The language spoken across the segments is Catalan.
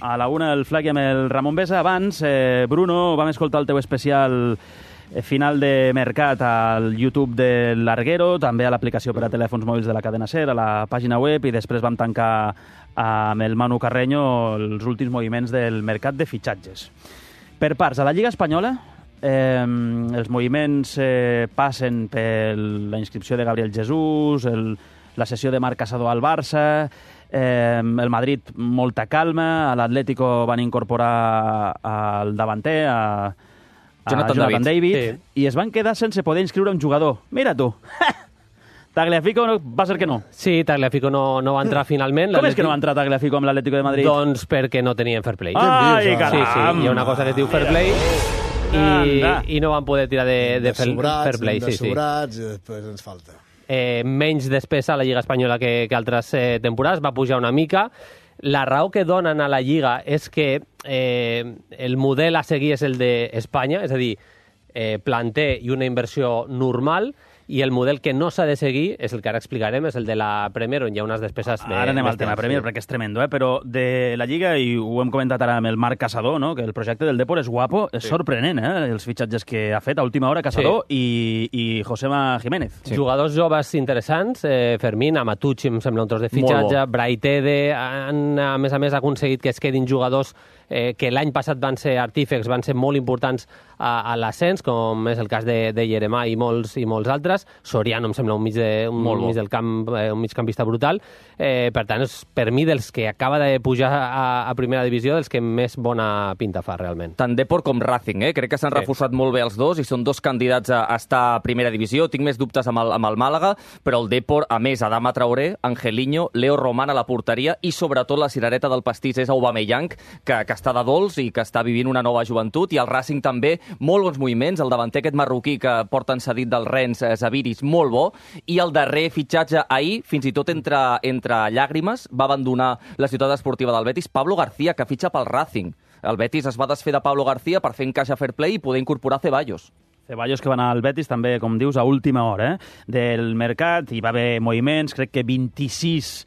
A la una el Flac i amb el Ramon Besa. Abans, Bruno, vam escoltar el teu especial final de mercat al YouTube de Larguero, també a l'aplicació per a telèfons mòbils de la cadena SER, a la pàgina web, i després vam tancar amb el Manu Carreño els últims moviments del mercat de fitxatges. Per parts, a la Lliga Espanyola, els moviments passen per la inscripció de Gabriel Jesús, la sessió de Marc Casador al Barça, el Madrid molta calma, a l'Atlético van incorporar al davanter, a Jonathan David, sí. I es van quedar sense poder inscriure un jugador. Mira tu! Tagliafico va ser que no. Sí, Tagliafico no va entrar finalment. Com és que no va entrar Tagliafico amb l'Atlético de Madrid? Doncs perquè no tenien fair play. Ai, caram! Sí, hi ha una cosa que es diu fair play i no van poder tirar de fair play. De sobrats, i després ens falta. Menys despesa a la Lliga Espanyola que altres temporades, va pujar una mica. La raó que donen a la Lliga és que el model a seguir és el d'Espanya, és a dir, planter i una inversió normal, i el model que no s'ha de seguir és el que ara explicarem, és el de la Premier, on hi ha unes despeses... Ara anem al tema Premier, perquè és tremendo, però de la Lliga, i ho hem comentat ara amb el Marc Casador, no? Que el projecte del Depor és guapo, és sorprenent, els fitxatges que ha fet a última hora Casador i Josema Jiménez. Sí. Jugadors joves interessants, Fermín, Amatucci, em sembla un tros de fitxatge, Braitede, han, a més, aconseguit que es quedin jugadors que l'any passat van ser artífecs, van ser molt importants a l'ascens, com és el cas de Jeremà i molts altres. Soriano em sembla un mig del camp, un migcampista brutal. Per tant, és per mi dels que acaba de pujar a primera divisió, dels que més bona pinta fa realment. Tant Depor com Racing, crec que s'han reforçat molt bé els dos i són dos candidats a estar a primera divisió. Tinc més dubtes amb el Màlaga, però el Depor, a més, Adama Traoré, Angelino, Leo Román a la porteria i sobretot la cirereta del pastís és Aubameyang, que està de dolç i que està vivint una nova joventut, i el Racing també, molt bons moviments, el davanter aquest marroquí que porten cedit del Rennes, Zaviris, molt bo, i el darrer fitxatge ahir, fins i tot entre llàgrimes, va abandonar la ciutat esportiva del Betis, Pablo García, que fitxa pel Racing. El Betis es va desfer de Pablo García per fer encaixa fair play i poder incorporar Ceballos. Ceballos que va anar al Betis també, com dius, a última hora del mercat. Hi va haver moviments, crec que 26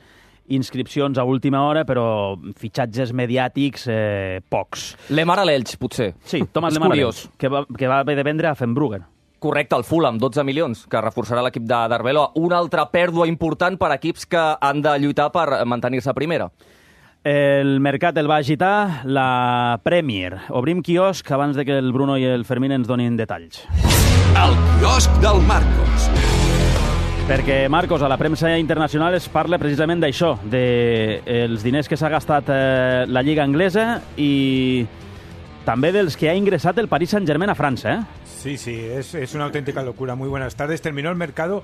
inscripcions a última hora, però fitxatges mediàtics pocs. Lemar a l'Elx, potser. Sí, Thomas Lemar a l'Elx, que va haver de vendre a Fenbruggen. Correcte, el Fulham, 12 milions, que reforçarà l'equip d'Arbeloa. Una altra pèrdua important per equips que han de lluitar per mantenir-se a primera. El mercat el va agitar la Premier. Obrim quiosc abans de que el Bruno i el Fermín ens donin detalls. El quiosc del Marcos. Perquè, Marcos, a la premsa internacional es parla precisament d'això, dels diners que s'ha gastat la Lliga Anglesa i també dels que ha ingressat el Paris Saint-Germain a França, Sí, es una auténtica locura. Muy buenas tardes. Terminó el mercado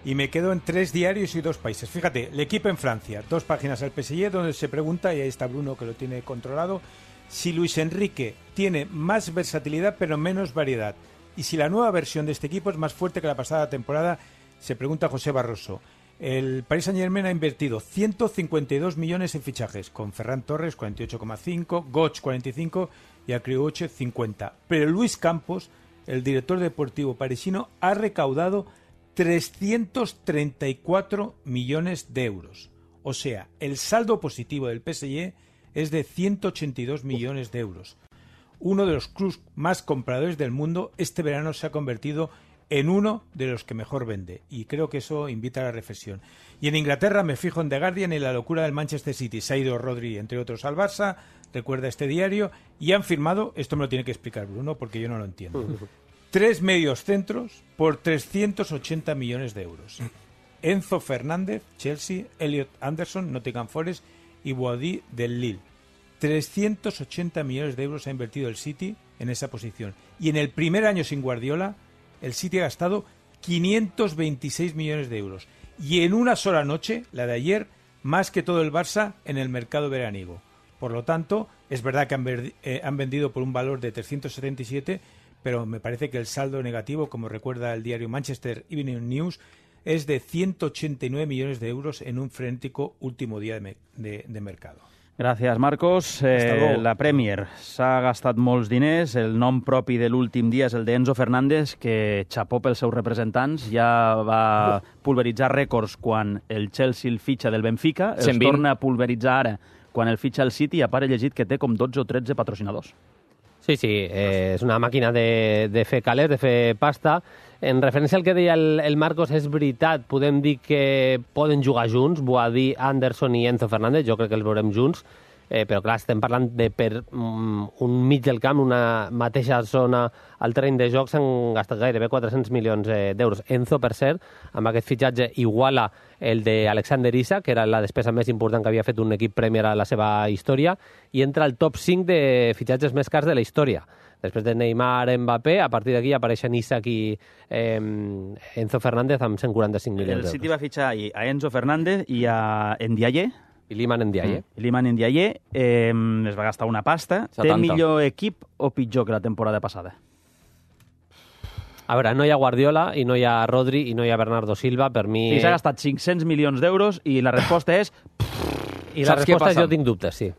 y me quedo en 3 diarios y 2 países. Fíjate, el equipo en Francia, 2 páginas al PSG, donde se pregunta, y ahí está Bruno que lo tiene controlado, si Luis Enrique tiene más versatilidad pero menos variedad. Y si la nueva versión de este equipo es más fuerte que la pasada temporada, se pregunta José Barroso. El Paris Saint-Germain ha invertido 152 millones en fichajes, con Ferran Torres 48,5, Götze 45 y Acrioche 50. Pero Luis Campos, el director deportivo parisino, ha recaudado 334 millones de euros. O sea, el saldo positivo del PSG es de 182 millones de euros. Uno de los clubes más compradores del mundo este verano se ha convertido en uno de los que mejor vende. Y creo que eso invita a la reflexión. Y en Inglaterra me fijo en The Guardian y la locura del Manchester City. Se ha ido Rodri, entre otros, al Barça, recuerda este diario, y han firmado, esto me lo tiene que explicar Bruno, porque yo no lo entiendo, 3 medios centros por 380 millones de euros. Enzo Fernández, Chelsea, Elliot Anderson, Nottingham Forest y Boadi del Lille. 380 millones de euros ha invertido el City en esa posición. Y en el primer año sin Guardiola, el City ha gastado 526 millones de euros. Y en una sola noche, la de ayer, más que todo el Barça en el mercado veraniego. Por lo tanto, es verdad que han vendido por un valor de 377, pero me parece que el saldo negativo, como recuerda el diario Manchester Evening News, es de 189 millones de euros en un frenético último día de mercado. Gràcies, Marcos. La Premier s'ha gastat molts diners. El nom propi de l'últim dia és el d'Enzo Fernández, que, xapó pels seus representants, ja va pulveritzar rècords quan el Chelsea el fitxa del Benfica. Els torna a pulveritzar ara quan el fitxa el City, a part he llegit que té com 12 o 13 patrocinadors. Sí, és una màquina de fer calés, de fer pasta. En referència al que deia el Marcos, és veritat, podem dir que poden jugar junts, Boadí, Anderson i Enzo Fernández, jo crec que els veurem junts, però clar, estem parlant de per un mig del camp, una mateixa zona al terreny de joc, s'han gastat gairebé 400 milions d'euros. Enzo, per cert, amb aquest fitxatge iguala el d'Alexander Isak, que era la despesa més important que havia fet un equip Premier a la seva història, i entra al top 5 de fitxatges més cars de la història. Després de Neymar, Mbappé, a partir d'aquí apareixen Isak i Enzo Fernández amb 145 milions d'euros. El City va fitxar a Enzo Fernández i a Ndiaye, I Iliman Ndiaye. Iliman Ndiaye es va gastar una pasta. 70. Té millor equip o pitjor que la temporada passada? A veure, no hi ha Guardiola, i no hi ha Rodri, i no hi ha Bernardo Silva. Per mi... Sí, s'ha gastat 500 milions d'euros i la resposta és... I la Saps què resposta passa? jo tinc dubtes, sí.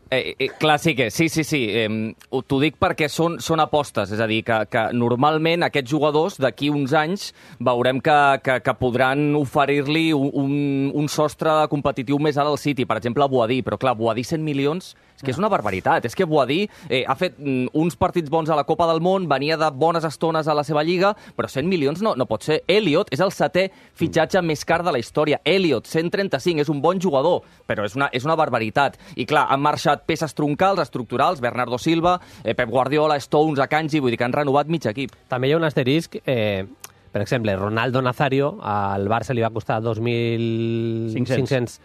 Clar, sí. T'ho dic perquè són apostes, és a dir, que normalment aquests jugadors d'aquí uns anys veurem que podran oferir-li un sostre competitiu més alt al City, per exemple a Boadí, però clar, Boadí 100 milions és que és una barbaritat, és que Boadí ha fet uns partits bons a la Copa del Món, venia de bones estones a la seva lliga, però 100 milions no pot ser. Elliot és el 7è fitxatge més car de la història. Elliot, 135, és un bon jugador, però és una barbaritat. I clar, han marxat peces troncals, estructurals, Bernardo Silva, Pep Guardiola, Stones, Akanji, vull dir que han renovat mig equip. També hi ha un asterisc, per exemple, Ronaldo Nazario, al Barça li va costar 2.500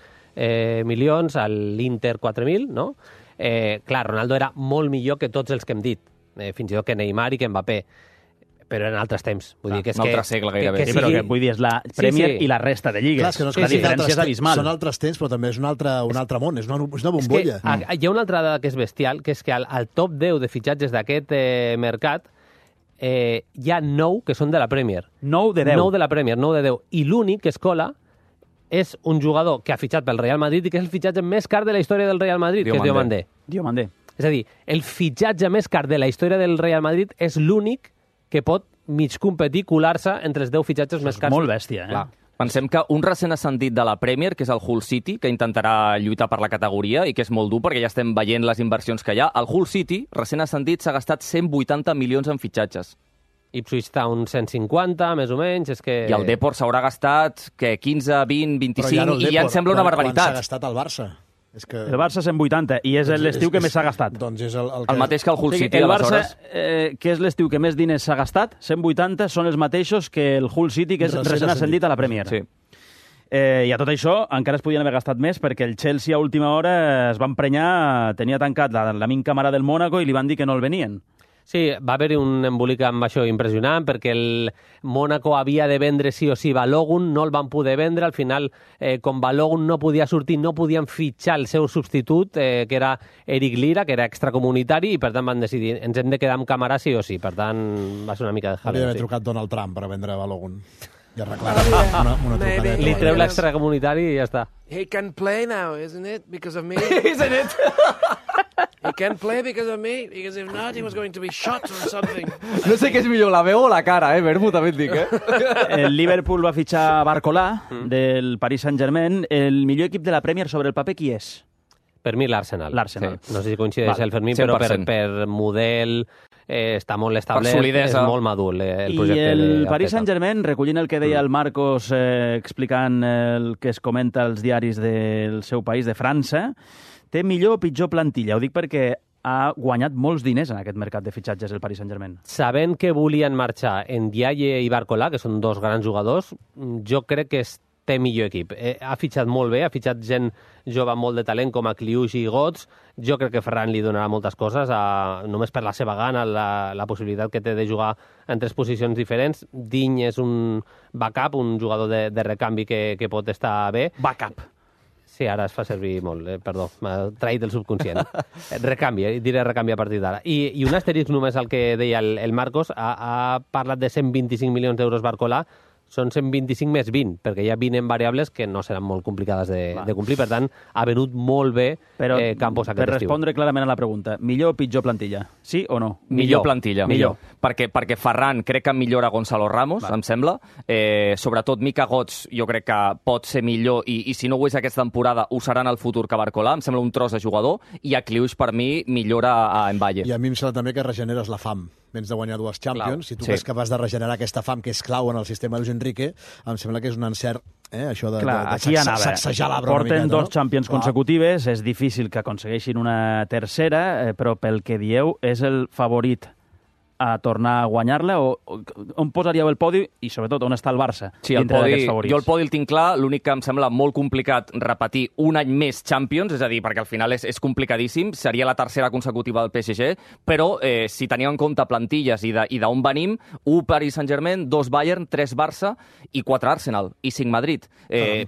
milions, a l'Inter 4.000, no? Clar, Ronaldo era molt millor que tots els que hem dit, fins i tot que Neymar i que Mbappé, però en altres temps. Vull dir que és un altre segle gairebé. Sí, però que vull dir, és la Premier i la resta de lligues. Clar, és que no és la que diferència és abismal. Són altres temps, però també és un altre món, és una bombolla. És que hi ha una altra dada que és bestial, que és que al top 10 de fitxatges d'aquest mercat hi ha 9 que són de la Premier. 9 de 10. 9 de la Premier, 9 de 10. I l'únic que es cola és un jugador que ha fitxat pel Real Madrid i que és el fitxatge més car de la història del Real Madrid, que és Diomandé. Diomandé. És a dir, el fitxatge més car de la història del Real Madrid és l'únic que pot mig competir, colar-se entre els 10 fitxatges més cars. Molt bèstia, Clar. Pensem que un recent ascendit de la Premier, que és el Hull City, que intentarà lluitar per la categoria i que és molt dur perquè ja estem veient les inversions que hi ha, el Hull City, recent ascendit, s'ha gastat 180 milions en fitxatges. Ipswich Town 150, més o menys, és que... I el Depor s'haurà gastat 15, 20, 25, Però i ja em sembla una barbaritat. Quan s'ha gastat el Barça? És que... El Barça 180, i és l'estiu que més s'ha gastat. Doncs és El mateix que el Hull City, el Barça, aleshores. que és l'estiu que més diners s'ha gastat, 180, són els mateixos que el Hull City, que és recent ascendit a la Premier. Sí. I a tot això encara es podien haver gastat més perquè el Chelsea a última hora es va emprenyar, tenia tancat l'amic camarada del Mónaco i li van dir que no el venien. Sí, va haver-hi un embolic amb això impressionant perquè el Mónaco havia de vendre sí o sí Balogun, no el van poder vendre, al final, com Balogun no podia sortir, no podien fitxar el seu substitut, que era Eric Lira, que era extracomunitari, i per tant van decidir, ens hem de quedar amb Camarà sí o sí, per tant va ser una mica de jaleo. Hauria d'haver trucat Donald Trump per vendre Balogun. I arreglar una trucadeta. Li treu l'extracomunitari i ja està. He can play now, isn't it? Because of me. Isn't it? He can play because of me. Because if not, he was going to be shot or something. No sé què és millor, la veu o la cara, Bermu, també et dic, El Liverpool va fitxar Barcolà, del Paris Saint-Germain. El millor equip de la Premier sobre el paper, qui és? Per mi l'Arsenal. L'Arsenal. Sí. No sé si coincideix el Fermín, però per model està molt establert, és molt madur el projecte. I el Paris Saint-Germain, recollint el que deia el Marcos, explicant el que es comenta als diaris del seu país, de França, té millor o pitjor plantilla. Ho dic perquè ha guanyat molts diners en aquest mercat de fitxatges el Paris Saint-Germain. Sabent que volien marxar Ndiaye i Barcolà, que són dos grans jugadors, jo crec que té millor equip. Ha fitxat molt bé, ha fitxat gent jove amb molt de talent com a Kliush i Götze. Jo crec que Ferran li donarà moltes coses, només per la seva gana, la possibilitat que té de jugar en 3 posicions diferents. Digne és un backup, un jugador de recanvi que pot estar bé. Backup. Sí, ara es fa servir molt, perdó, m'ha traït el subconscient. Recanvi, diré recanvi a partir d'ara. I un asterisc només al que deia el Marcos, ha parlat de 125 milions d'euros Barcolà, són 125 més 20, perquè hi ha 20 en variables que no seran molt complicades de complir. Per tant, ha venut molt bé Campos aquest estiu. Per respondre clarament a la pregunta, millor o pitjor plantilla? Sí o no? Millor plantilla. Millor. Perquè Ferran crec que millora Gonzalo Ramos, em sembla. Sobretot Mika Götze jo crec que pot ser millor i si no ho és aquesta temporada ho serà en el futur que Barcola. Em sembla un tros de jugador i a Kliush per mi millora a Mbaye. I a mi em sembla també que regeneres la fam. Vens de guanyar 2 Champions. Si tu és capaç de regenerar aquesta fam que és clau en el sistema de Luis Enrique, em sembla que és un encert això de sacsejar l'arbre una miqueta. Porten 2 Champions consecutives, és difícil que aconsegueixin una tercera, però pel que dieu és el favorit a tornar a guanyar-la, o on posaríeu el podi i, sobretot, on està el Barça dintre d'aquests favorits? Jo el podi el tinc clar, l'únic que em sembla molt complicat repetir un any més Champions, és a dir, perquè al final és complicadíssim, seria la tercera consecutiva del PSG, però si teníem en compte plantilles i d'on venim, 1 Paris Saint-Germain, 2 Bayern, 3 Barça i 4 Arsenal, i 5 Madrid.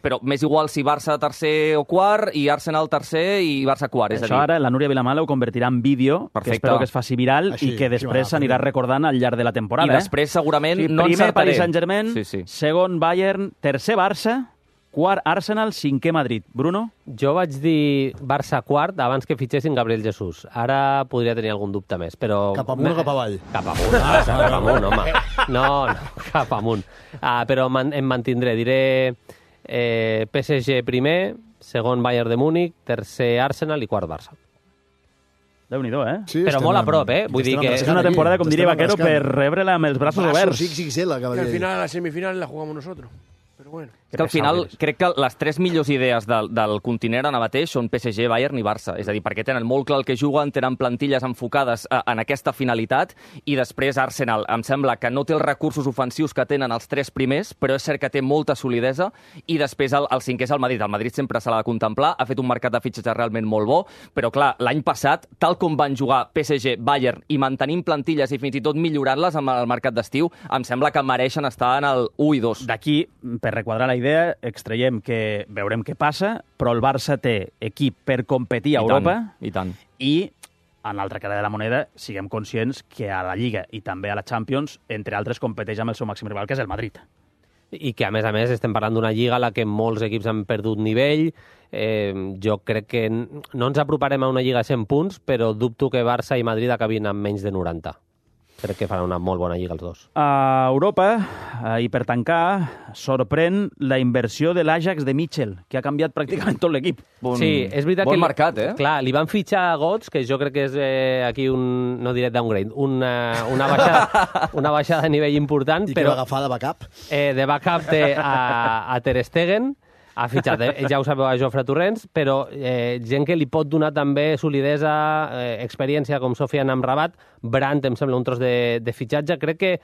Però m'és igual si Barça tercer o quart, i Arsenal tercer i Barça quart. Això ara la Núria Vilamala ho convertirà en vídeo, que espero que es faci viral i que després s'anirà recordant al llarg de la temporada. I després, segurament, no primer Paris Saint-Germain, segon Bayern, tercer Barça, quart Arsenal, 5è Madrid. Bruno? Jo vaig dir Barça quart abans que fitxessin Gabriel Jesús. Ara podria tenir algun dubte més, però... Cap amunt o cap avall? Cap amunt, cap amunt, home. No, cap amunt. Però em mantindré. Diré PSG primer, segon Bayern de Múnich, tercer Arsenal i quart Barça. Déu-n'hi-do, Sí, però molt a prop, Vull dir que és una temporada, com diria Vaquero, per rebre-la amb els braços oberts. XXL, que al final, la semifinal la jugamos nosotros. Pero bueno. És que al final crec que les 3 millors idees del continent ara mateix són PSG, Bayern i Barça. És a dir, perquè tenen molt clar el que juguen, tenen plantilles enfocades en aquesta finalitat, i després Arsenal em sembla que no té els recursos ofensius que tenen els 3 primers, però és cert que té molta solidesa, i després el 5è és el Madrid. El Madrid sempre se l'ha de contemplar, ha fet un mercat de fitxatges realment molt bo, però clar, l'any passat, tal com van jugar PSG, Bayern, i mantenint plantilles i fins i tot millorant-les amb el mercat d'estiu, em sembla que mereixen estar en el 1 i 2. D'aquí, per requadrar la idea, extraiem que veurem què passa, però el Barça té equip per competir a Europa. I tant. I, en l'altra cara de la moneda, siguem conscients que a la Lliga i també a la Champions, entre altres, competeix amb el seu màxim rival, que és el Madrid. I que, a més, estem parlant d'una Lliga a la que molts equips han perdut nivell. Jo crec que no ens aproparem a una Lliga a 100 punts, però dubto que Barça i Madrid acabin amb menys de 90. Crec que faran una molt bona lliga els dos. A Europa, i per tancar, sorprèn la inversió de l'Ajax de Mitchell, que ha canviat pràcticament tot l'equip. Sí, és veritat bon mercat, Clar, li van fitxar a Götze, que jo crec que és aquí un, no diré downgrade, una baixada de nivell important. I que va agafar de backup? De backup té a Ter Stegen, ha fitxat, ja ho sabeu, a Jofre Torrents, però gent que li pot donar també solidesa, experiència, com Sofiane Amrabat. Brandt em sembla un tros de fitxatge. Crec que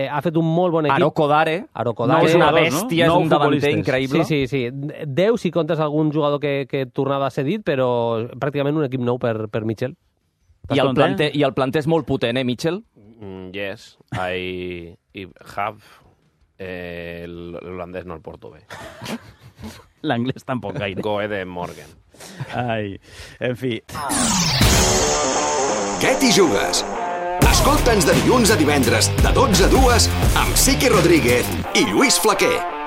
ha fet un molt bon equip. Arokodare. No, és una bèstia, és un davanter increïble. Sí. 10 si comptes algun jugador que tornava cedit, però pràcticament un equip nou per Mitchell. I el planter és molt potent, Mitchell? Yes. I have... L'holandès no el porto bé. L'anglès tampoc gaire. Goe de Morgan. Ai, en fi. Què t'hi jugues? Escolta'ns de dilluns a divendres, de 12 a 2, amb Siqui Rodríguez i Lluís Flaquer.